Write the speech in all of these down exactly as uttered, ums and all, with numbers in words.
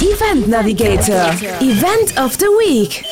Event Navigator, Event of the Week.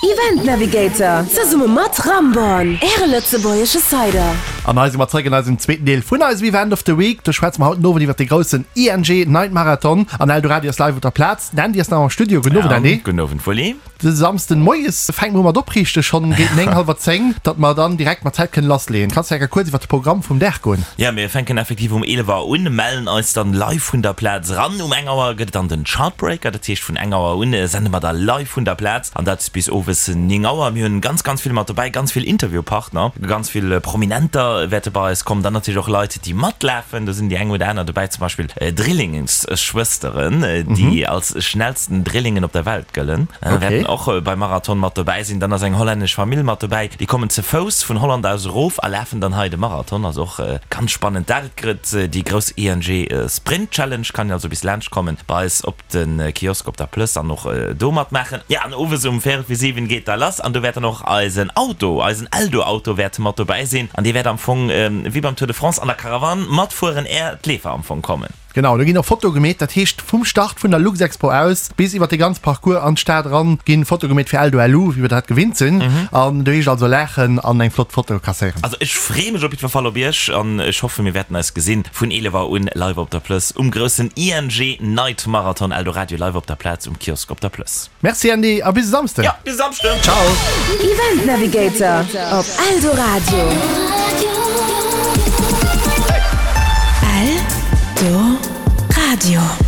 Event Navigator, zesumme mat Ramborn, äre lëtzebuergesche Cider. An hei si mer zréck an eisem zweeten Deel vun eisem Event of the Week. Do schwätze mer haut den Owend iwwer de groussen ING Night Marathon an Eldoradio ass live op der Plaz. Den Andy ass nach am Studio. Gudden Owend, Andy. Gudden Owend, Wulli. De Samsden moies fänke mer u mat opriichte schonn géint néng, hallwer zéng, datt mer dann direkt mat Zäit kënnen lassleeën. Kanns de enker kuerz iwwer de Programm vum Dag goen? Jo, mir fänken effektiv um eelef Auer un, mellen eis dann live vun der Plaz eran. Um eng Auer gëtt et dann den Chartbreaker, dat heescht vun eng Auer un sende mer da live vun der Plaz an dat bis owes néng Auer. Mir hunn ganz, ganz vill mat dobäi, ganz vill Interviewpartner, ganz vill Prominenter wäerte bei eis kommen, dann natierlech och Leit, déi matlafen. Do sinn déi eng oder aner dobäi, zum Beispill Drillingsschwësteren, déi als schnellsten Drillingen op der Welt gëllen. Wäerten och beim Marathon mat dobäi sinn. Dann ass eng hollännesch Famill mat dobäi, déi kommen ze Fouss vun Holland aus erof a lafen dann hei de Marathon. Also och ganz spannend. Dat gëtt déi grouss ING Sprint Challenge. Kann een also bis laanscht kommen bei eis op de Kiosk op der Plëss an och do matmaachen. Jo, an owes um véierel vir siwen geet da lass an do wäert dann och eisen Auto, eisen Eldo-Auto wäert mat dobäi sinn an dee wäert am Fong wéi beim Tour de France an der Caravane matfueren, är d'Leefer am Fong kommen. Genau, do ginn och Fotoe gemeet, dat heescht vum Start vun der Luxexpo aus bis iwwer de ganz Parcours an d'Stad eran ginn Fotoe gemeet fir Eldo LU, wéi mir dat gewinnt sinn. An do heescht also laachen an eng flott Foto kasséieren. Also ech free mech op jiddwer Fall op iech an ech hoffen mir wäerten eis gesinn vun eelef Auer un live op der Plëss um groussen ING Night Marathon Eldoradio live op der Plaz um Kiosk op der Plëss. Merci Andy a bis e Samsden! Jo, bis e Samschden! Ciao! Event Navigator op Eldoradio. Eldoradio.